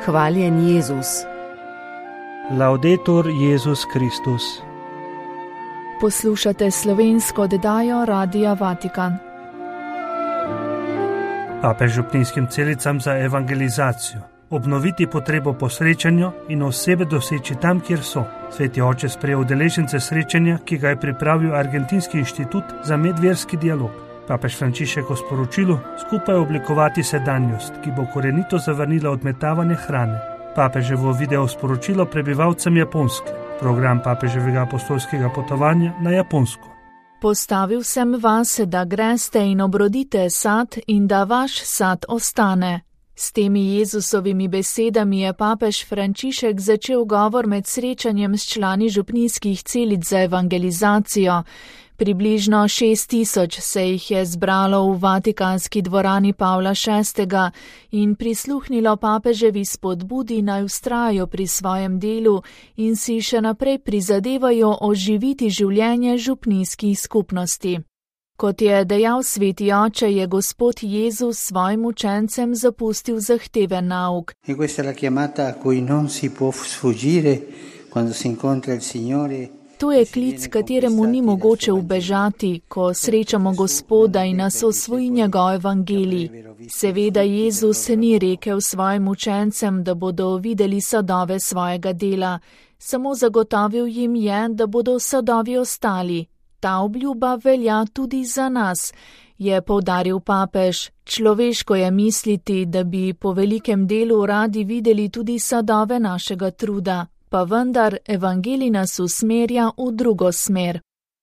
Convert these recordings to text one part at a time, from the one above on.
Hvaljen Jezus. Laudetur Jezus Kristus. Poslušate slovensko oddajo Radia Vatikan. Papež župnijskim celicam za evangelizacijo. Obnoviti potrebo po srečanju in osebe doseči tam, kjer so. Sveti oče sprejel udeležence srečanja, ki ga je pripravil Argentinski inštitut za medverski dialog. Papež Frančišek v sporočilu skupaj oblikovati sedanjost, ki bo korenito zavrnila odmetavanje hrane. Papeževo video sporočilo prebivalcem Japonske. Program papeževega apostolskega potovanja na Japonsko. Postavil sem vas, da greste in obrodite sad in da vaš sad ostane. S temi Jezusovimi besedami je papež Frančišek začel govor med srečanjem s člani župnijskih celic za evangelizacijo. Približno 6000 se jih je zbralo v Vatikanski dvorani Pavla VI. In prisluhnilo papeževi spodbudi naj vztrajajo pri svojem delu in si še naprej prizadevajo oživiti življenje župnijskih skupnosti. Kot je dejal sveti oče, je Gospod Jezus svojim učencem zapustil zahteven nauk. E questa è la chiamata a cui non si può sfuggire quando si incontra il Signore. To je klic, kateremu ni mogoče ubežati, ko srečamo Gospoda in nas osvoji njegov evangelij. Seveda Jezus ni rekel svojim učencem, da bodo videli sadove svojega dela, samo zagotovil jim je, da bodo sadovi ostali. Ta obljuba velja tudi za nas, je poudaril papež. Človeško je misliti, da bi po velikem delu radi videli tudi sadove našega truda. Pa vendar evangelij nas usmerja v drugo smer.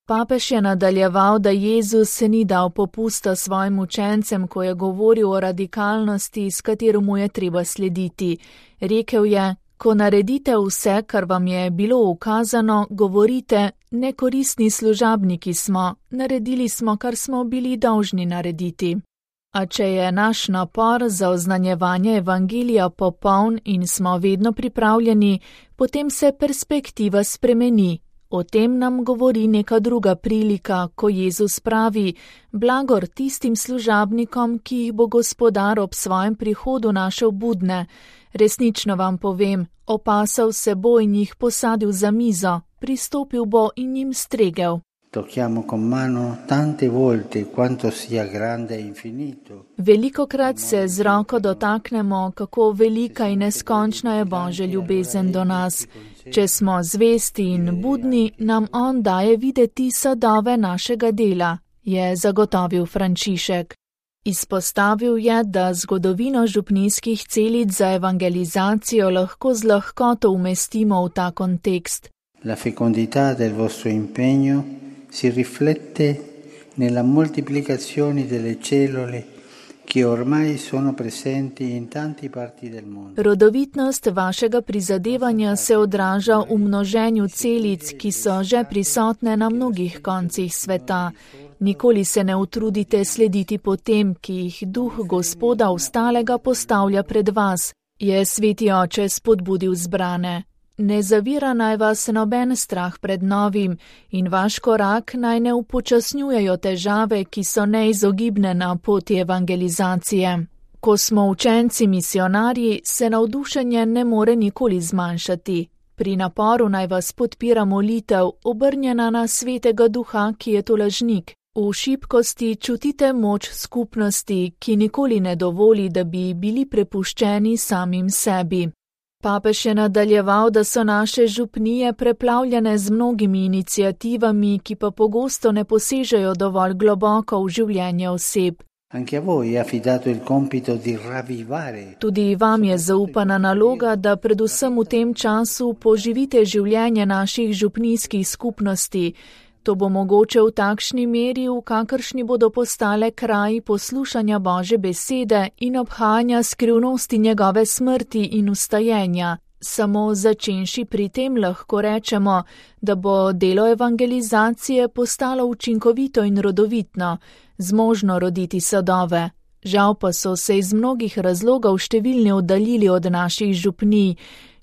Papež je nadaljeval, da Jezus se ni dal popusta svojim učencem, ko je govoril o radikalnosti, s katero mu je treba slediti. Rekel je, ko naredite vse, kar vam je bilo ukazano, govorite, nekoristni služabniki smo, naredili smo, kar smo bili dolžni narediti. A če je naš napor za oznanjevanje evangelija popoln in smo vedno pripravljeni, potem se perspektiva spremeni. O tem nam govori neka druga prilika, ko Jezus pravi, blagor tistim služabnikom, ki jih bo Gospodar ob svojem prihodu našel budne. Resnično vam povem, opasal se bo in jih posadil za mizo, pristopil bo in jim stregel. Tocchiamo con mano tante volte quanto sia grande e infinito. Velikokrat se z roko dotaknemo, kako velika in neskončna je Božja ljubezen do nas. Če smo zvesti in budni, nam on daje videti sadove našega dela, je zagotovil Frančišek. Izpostavil je, da zgodovino župnijskih celic za evangelizacijo lahko z lahkoto umestimo v ta kontekst. La fecondità del vostro impegno si riflette nella moltiplicazione delle cellule che ormai sono presenti in tante parti del mondo. Rodovitnost vašega prizadevanja se odraža v množenju celic, ki so že prisotne na mnogih koncih sveta. Nikoli se ne utrudite slediti potem, ki jih duh Gospoda ostalega postavlja pred vas, je sveti oče spodbudil zbrane. Ne zavira naj vas noben strah pred novim in vaš korak naj ne upočasnjujejo težave, ki so neizogibne na poti evangelizacije. Ko smo učenci misionarji, se navdušenje ne more nikoli zmanjšati. Pri naporu naj vas podpira molitev, obrnjena na svetega duha, ki je tolažnik. V šibkosti čutite moč skupnosti, ki nikoli ne dovoli, da bi bili prepuščeni samim sebi. Papež je nadaljeval, da so naše župnije preplavljene z mnogimi iniciativami, ki pa pogosto ne posežejo dovolj globoko v življenje oseb. Tudi vam je zaupana naloga, da predvsem v tem času poživite življenje naših župnijskih skupnosti. To bo mogoče v takšni meri, v kakršni bodo postale kraji poslušanja Božje besede in obhajanja skrivnosti njegove smrti in vstajenja. Samo začenši pri tem lahko rečemo, da bo delo evangelizacije postalo učinkovito in rodovitno, zmožno roditi sadove. Žal pa so se iz mnogih razlogov številni oddaljili od naših župnij.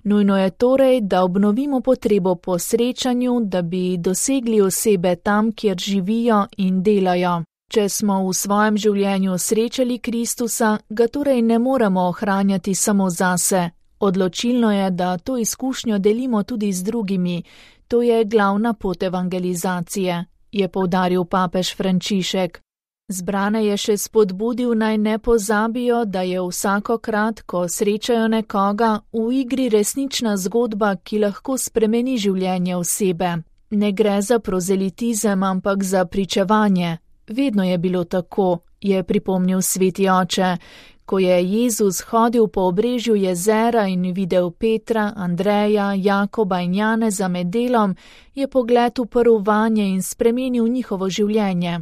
Nujno je torej, da obnovimo potrebo po srečanju, da bi dosegli osebe tam, kjer živijo in delajo. Če smo v svojem življenju srečali Kristusa, ga torej ne moremo ohranjati samo zase. Odločilno je, da to izkušnjo delimo tudi z drugimi. To je glavna pot evangelizacije, je poudaril papež Frančišek. Zbrane je še spodbudil, naj ne pozabijo, da je vsakokrat, ko srečajo nekoga, v igri resnična zgodba, ki lahko spremeni življenje osebe. Ne gre za prozelitizem, ampak za pričevanje. Vedno je bilo tako, je pripomnil sveti oče. Ko je Jezus hodil po obrežju jezera in videl Petra, Andreja, Jakoba in Janeza med delom, je pogled uprl vanje in spremenil njihovo življenje.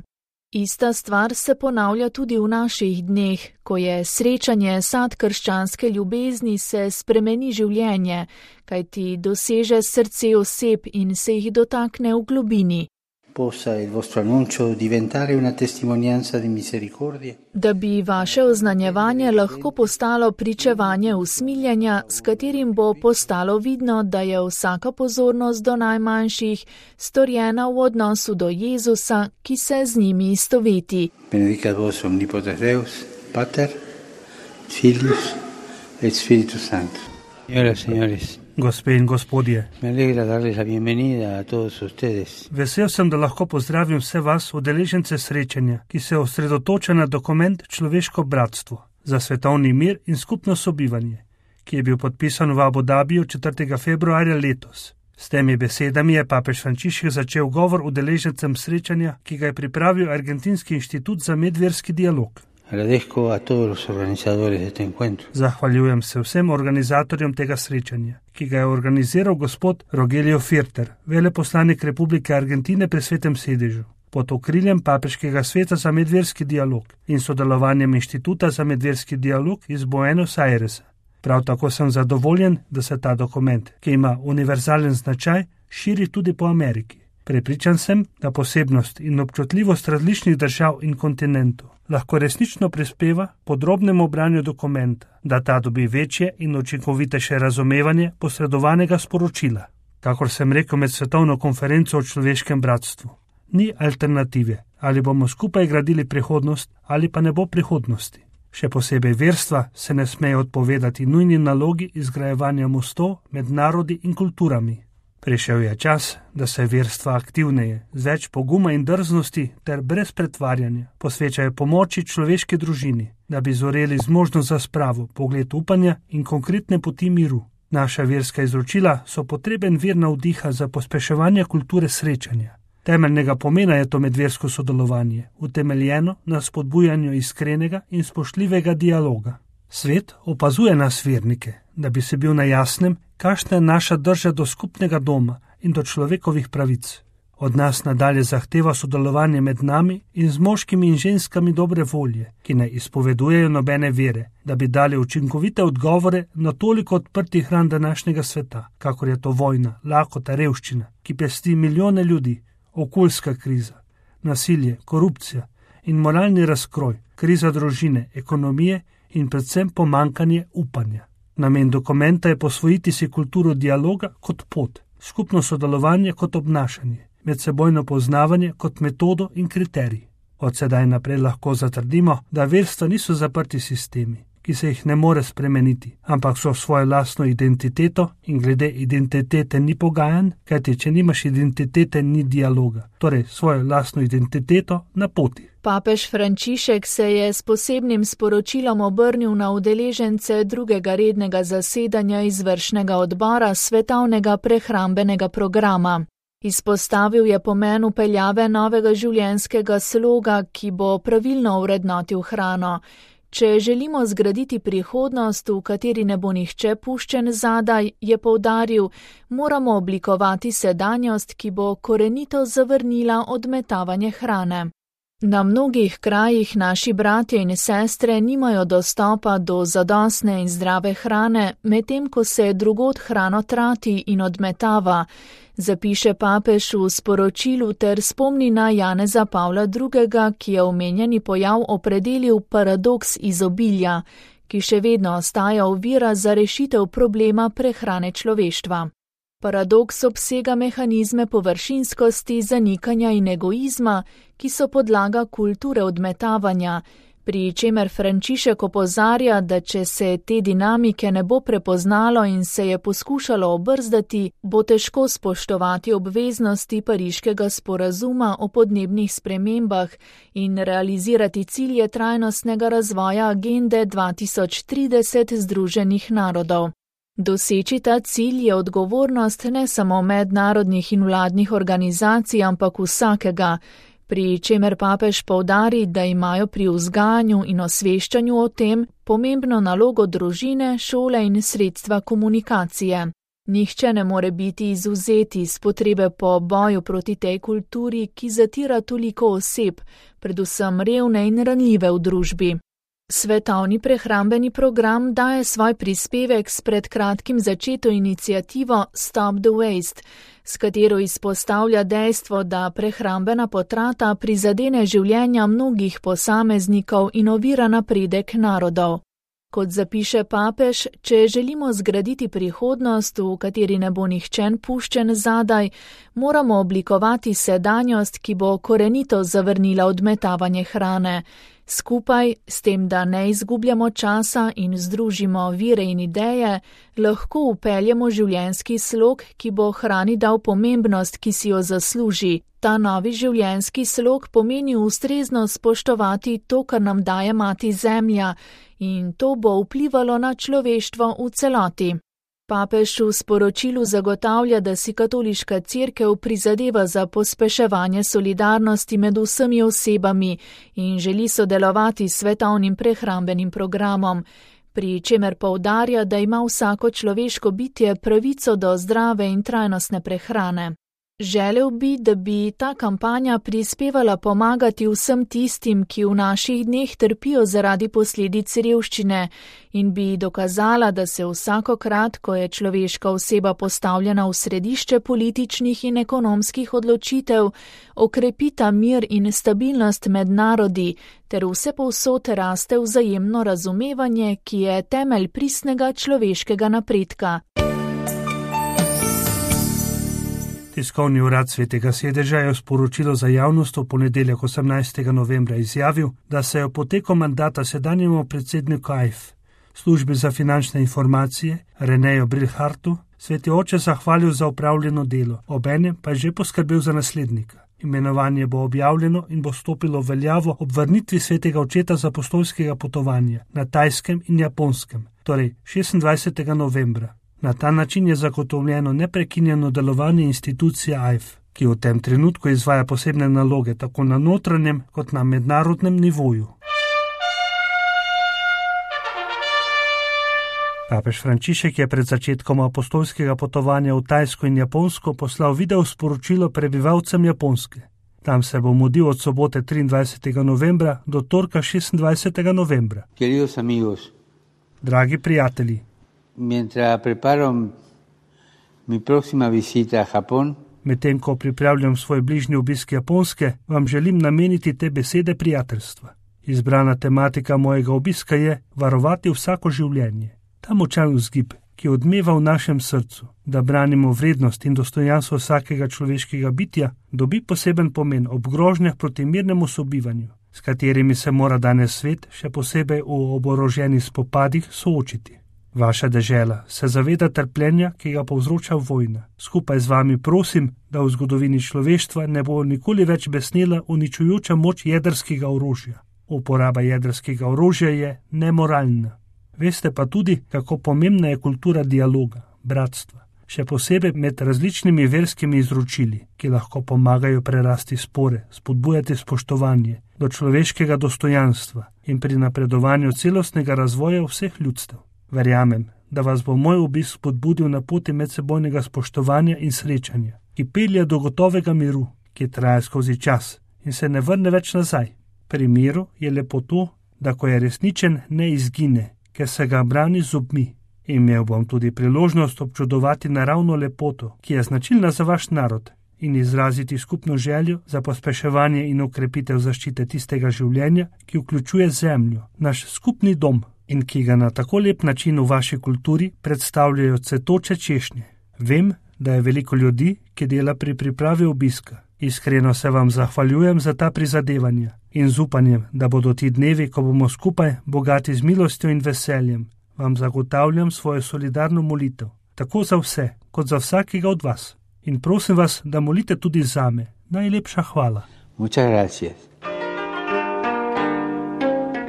Ista stvar se ponavlja tudi v naših dneh, ko je srečanje sad krščanske ljubezni, se spremeni življenje, kajti doseže srce oseb in se jih dotakne v globini. Da bi vaše oznanjevanje lahko postalo pričevanje usmiljenja, s katerim bo postalo vidno, da je vsaka pozornost do najmanjših storjena v odnosu do Jezusa, ki se z njimi istoveti. Benedicat vos omnipotens Deus, Pater, Filius et Spiritus Sanctus. Señoras, señores. Gospe in gospodje, vesel sem, da lahko pozdravim vse vas, udeležence srečanja, ki se osredotoča na dokument Človeško bratstvo za svetovni mir in skupno sobivanje, ki je bil podpisan v Abu Dabiju 4. februarja letos. S temi besedami je papež Frančišek začel govor udeležencem srečanja, ki ga je pripravil Argentinski inštitut za medverski dialog. Zahvaljujem se vsem organizatorjem tega srečanja, ki ga je organiziral gospod Rogelio Firter, veleposlanik Republike Argentine pri Svetem sedežu, pod okriljem Papeškega sveta za medverski dialog in sodelovanjem Inštituta za medverski dialog iz Buenos Airesa. Prav tako sem zadovoljen, da se ta dokument, ki ima univerzalen značaj, širi tudi po Ameriki. Prepričan sem, da posebnost in občutljivost različnih držav in kontinentov lahko resnično prispeva podrobnemu branju dokumenta, da ta dobi večje in učinkovitejše razumevanje posredovanega sporočila. Kakor sem rekel med svetovno konferenco o človeškem bratstvu, ni alternative, ali bomo skupaj gradili prihodnost ali pa ne bo prihodnosti. Še posebej verstva se ne smejo odpovedati nujni nalogi izgrajevanja mostov med narodi in kulturami. Prišel je čas, da se verstva aktivneje, z več poguma in drznosti ter brez pretvarjanja posvečajo pomoči človeški družini, da bi zoreli zmožnost za spravo, pogled upanja in konkretne poti miru. Naša verska izročila so potreben vir navdiha za pospeševanje kulture srečanja. Temeljnega pomena je to medversko sodelovanje, utemeljeno na spodbujanju iskrenega in spoštljivega dialoga. Svet opazuje nas vernike, da bi se bil na jasnem, kakšna je naša drža do skupnega doma in do človekovih pravic. Od nas nadalje zahteva sodelovanje med nami in z moškimi in ženskami dobre volje, ki ne izpovedujejo nobene vere, da bi dali učinkovite odgovore na toliko odprtih ran današnjega sveta, kakor je to vojna, lakota, revščina, ki pesti milijone ljudi, okoljska kriza, nasilje, korupcija in moralni razkroj, kriza družine, ekonomije in predvsem pomankanje upanja. Namen dokumenta je posvojiti si kulturo dialoga kot pot, skupno sodelovanje kot obnašanje, medsebojno poznavanje kot metodo in kriterij. Od sedaj naprej lahko zatrdimo, da verstva niso zaprti sistemi, ki se jih ne more spremeniti, ampak so svojo lastno identiteto in glede identitete ni pogajanj, kajti če nimaš identitete, ni dialoga, torej svojo lastno identiteto na poti. Papež Frančišek se je s posebnim sporočilom obrnil na udeležence drugega rednega zasedanja izvršnega odbora svetovnega prehrambenega programa. Izpostavil je pomen vpeljave novega življenjskega sloga, ki bo pravilno vrednotil hrano. Če želimo zgraditi prihodnost, v kateri ne bo nihče puščen zadaj, je poudaril, moramo oblikovati sedanjost, ki bo korenito zavrnila odmetavanje hrane. Na mnogih krajih naši bratje in sestre nimajo dostopa do zadostne in zdrave hrane, medtem ko se drugod hrano trati in odmetava, zapiše papež v sporočilu ter spomni na Janeza Pavla II., ki je omenjeni pojav opredelil paradoks izobilja, ki še vedno ostaja ovira za rešitev problema prehrane človeštva. Paradoks obsega mehanizme površinskosti, zanikanja in egoizma, ki so podlaga kulture odmetavanja, Pri čemer Frančišek opozarja, da če se te dinamike ne bo prepoznalo in se je poskušalo obrzdati, bo težko spoštovati obveznosti Pariškega sporazuma o podnebnih spremembah in realizirati cilje trajnostnega razvoja agende 2030 Združenih narodov. Doseči ta cilj je odgovornost ne samo mednarodnih in vladnih organizacij, ampak vsakega, pri čemer papež poudari, da imajo pri vzgajanju in osveščanju o tem pomembno nalogo družine, šole in sredstva komunikacije. Nihče ne more biti izvzeti iz potrebe po boju proti tej kulturi, ki zatira toliko oseb, predvsem revne in ranljive v družbi. Svetovni prehrambeni program daje svoj prispevek s pred kratkim začeto iniciativo Stop the Waste, s katero izpostavlja dejstvo, da prehrambena potrata prizadene življenja mnogih posameznikov in ovira napredek narodov. Kot zapiše papež, če želimo zgraditi prihodnost, v kateri ne bo nihče puščen zadaj, moramo oblikovati sedanjost, ki bo korenito zavrnila odmetavanje hrane. Skupaj, s tem, da ne izgubljamo časa in združimo vire in ideje, lahko upeljemo življenjski slog, ki bo hrani dal pomembnost, ki si jo zasluži. Ta novi življenjski slog pomeni ustrezno spoštovati to, kar nam daje mati zemlja, in to bo vplivalo na človeštvo v celoti. Papež v sporočilu zagotavlja, da si katoliška cerkev prizadeva za pospeševanje solidarnosti med vsemi osebami in želi sodelovati s svetovnim prehrambenim programom, pri čemer poudarja, da ima vsako človeško bitje pravico do zdrave in trajnostne prehrane. Želel bi, da bi ta kampanja prispevala pomagati vsem tistim, ki v naših dneh trpijo zaradi posledic revščine in bi dokazala, da se vsakokrat, ko je človeška oseba postavljena v središče političnih in ekonomskih odločitev, okrepita mir in stabilnost med narodi ter vsepovsod raste vzajemno razumevanje, ki je temelj pristnega človeškega napredka. Tiskovni urad Svetega sedeža je v sporočilu za javnost v ponedeljek 18. novembra izjavil, da se je v poteku mandata sedanjemu predsedniku AIF, službi za finančne informacije, Reneju Brilhartu, Sveti oče zahvalil za opravljeno delo, obenem pa je že poskrbel za naslednika. Imenovanje bo objavljeno in bo stopilo v veljavo ob vrnitvi Svetega očeta z apostolskega potovanja na Tajskem in Japonskem, torej 26. novembra. Na ta način je zagotovljeno neprekinjeno delovanje institucije AIF, ki v tem trenutku izvaja posebne naloge tako na notranjem kot na mednarodnem nivoju. Papež Frančišek je pred začetkom apostolskega potovanja v Tajsko in Japonsko poslal video sporočilo prebivalcem Japonske. Tam se bo mudil od sobote 23. novembra do torka 26. novembra. Queridos amigos, dragi prijatelji, mientras preparo mi próxima visita a Japón, medtem ko pripravljam svoj bližnji obisk Japonske, vam želim nameniti te besede prijateljstva. Izbrana tematika mojega obiska je varovati vsako življenje. Ta močan vzgib, ki odmeva v našem srcu, da branimo vrednost in dostojanstvo vsakega človeškega bitja, dobi poseben pomen ob grožnjah proti mirnemu sobivanju, s katerimi se mora danes svet, še posebej v oboroženih spopadih, soočiti. Vaša dežela se zaveda trpljenja, ki ga povzroča vojna. Skupaj z vami prosim, da v zgodovini človeštva ne bo nikoli več besnela uničujoča moč jedrskega orožja. Uporaba jedrskega orožja je nemoralna. Veste pa tudi, kako pomembna je kultura dialoga, bratstva, še posebej med različnimi verskimi izročili, ki lahko pomagajo prerasti spore, spodbujati spoštovanje do človeškega dostojanstva in pri napredovanju celostnega razvoja vseh ljudstev. Verjamem, da vas bo moj obisk spodbudil na poti medsebojnega spoštovanja in srečanja, ki pelje do gotovega miru, ki traja skozi čas in se ne vrne več nazaj. Pri miru je lepo to, da ko je resničen, ne izgine, ker se ga brani z zobmi. Imel bom tudi priložnost občudovati naravno lepoto, ki je značilna za vaš narod, in izraziti skupno željo za pospeševanje in okrepitev zaščite tistega življenja, ki vključuje zemljo, naš skupni dom, in ki ga na tako lep način v vaši kulturi predstavljajo cvetoče češnje. Vem, da je veliko ljudi, ki dela pri pripravi obiska. Iskreno se vam zahvaljujem za ta prizadevanja In z upanjem, da bodo ti dnevi, ko bomo skupaj bogati z milostjo in veseljem, vam zagotavljam svojo solidarno molitev, tako za vse, kot za vsakega od vas. In prosim vas, da molite tudi zame. Najlepša hvala. Muchas gracias.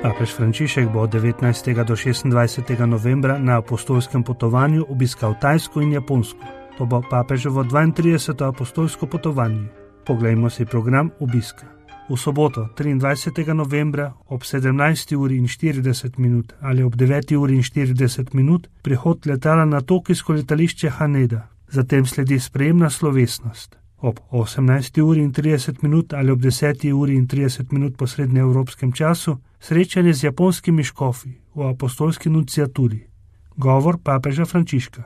Papež Frančišek bo od 19. do 26. novembra na apostolskem potovanju obiskal Tajsko in Japonsko. To bo papeževo 32. apostolsko potovanje. Poglejmo si program obiska. V soboto 23. novembra ob 17:40 ali ob 9:40 prihod letala na tokijsko letališče Haneda. Zatem sledi sprejemna slovesnost. Ob 18:30 ali ob 10:30 po srednjeevropskem času srečanje z japonskimi škofi v apostolski nunciaturi. Govor papeža Frančiška.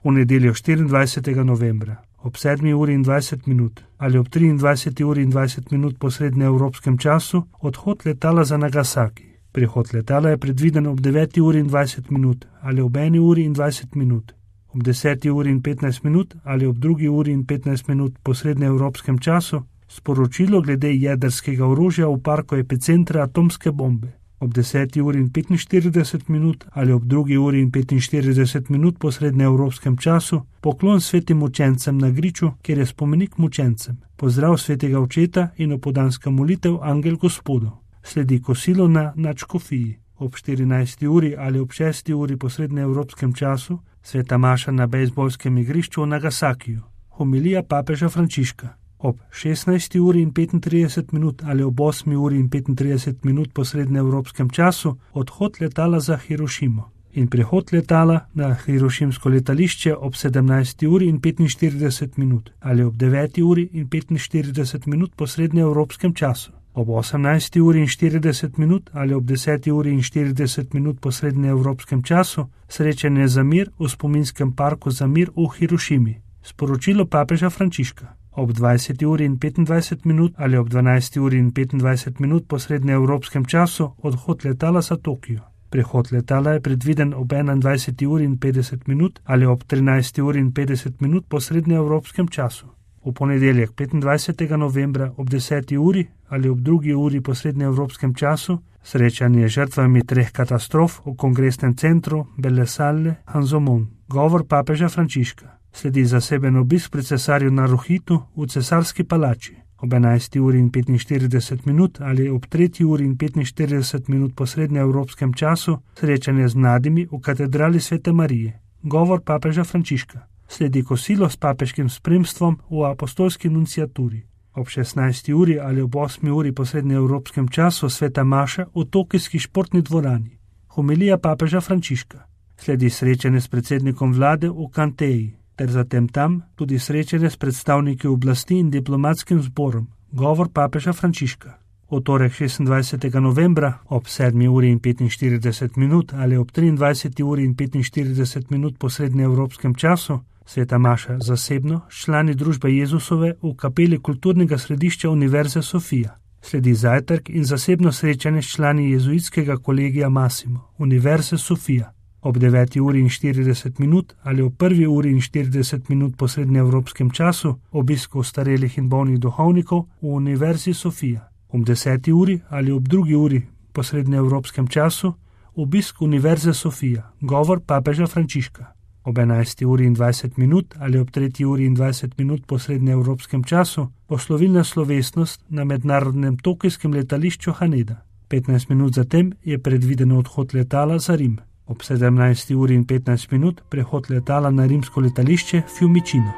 V nedeljo 24. novembra ob 7:20 ali ob 23:20 po srednjeevropskem času odhod letala za Nagasaki. Prihod letala je predviden ob 9:20 ali ob 1:20, ob 10:15 ali ob 2:15 po srednjeevropskem času sporočilo glede jedrskega orožja v parku epicentra atomske bombe. Ob 10:45 ali ob 2:45 po srednjeevropskem času poklon svetim mučencem na griču, kjer je spomenik mučencem, pozdrav svetega očeta in opodanska molitev Angel Gospodov. Sledi kosilo na nadškofiji. Ob 14. ali ob 6. po srednjeevropskem času sveta maša na bejzbolskem igrišču v Nagasakiju. Homilija papeža Frančiška. Ob 16:35 ali ob 8:35 po srednjeevropskem času odhod letala za Hirošimo in prihod letala na hirošimsko letališče ob 17:45 ali ob 9:45 po srednjeevropskem času. Ob 18:40 ali ob 10:40 po srednjeevropskem času srečanje za mir v spominskem parku za mir v Hirošimi. Sporočilo papeža Frančiška. Ob 20:25 ali ob 12:25 po srednjeevropskem času odhod letala za Tokio. Prihod letala je predviden ob 21:50 ali ob 13:50 po srednjeevropskem času. V ponedeljek 25. novembra ob 10. ali ob 2. po srednjeevropskem času srečanje z žrtvami 3 katastrof v kongresnem centru Belle Salle Hanzomon. Govor papeža Frančiška. Sledi zaseben obisk pri cesarju Naruhitu v cesarski palači. Ob 11:45 ali ob 3:45 po srednjeevropskem času srečanje z mladimi v katedrali Svete Marije. Govor papeža Frančiška. Sledi kosilo s papeškim spremstvom v apostolski nunciaturi. Ob 16. ali ob 8. po srednjeevropskem času sveta maša v tokijski športni dvorani. Homilija papeža Frančiška. Sledi srečanje s predsednikom vlade v Kanteji, ter zatem tam tudi srečanje s predstavniki oblasti in diplomatskim zborom. Govor papeža Frančiška. V torek 26. novembra ob 7:45 ali ob 23:45 po srednjeevropskem času sveta maša zasebno s člani družbe Jezusove v kapeli kulturnega središča Univerze Sofija. Sledi zajtrk in zasebno srečanje s člani jezuitskega kolegija Massimo Univerze Sofija. Ob 9:40 ali ob 1:40 po srednjeevropskem času obisk ostarelih in bolnih duhovnikov v Univerzi Sofija. Ob 10. ali ob 2. po srednjeevropskem času obisk Univerze Sofija. Govor papeža Frančiška. Ob 11:20 ali ob 3:20 po srednjeevropskem času poslovilna slovesnost na mednarodnem tokijskem letališču Haneda. 15 minut zatem je predvideno odhod letala za Rim. Ob 17:15 prehod letala na rimsko letališče Fiumicino.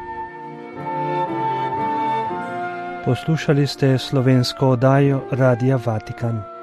Poslušali ste slovensko oddajo Radia Vatikan.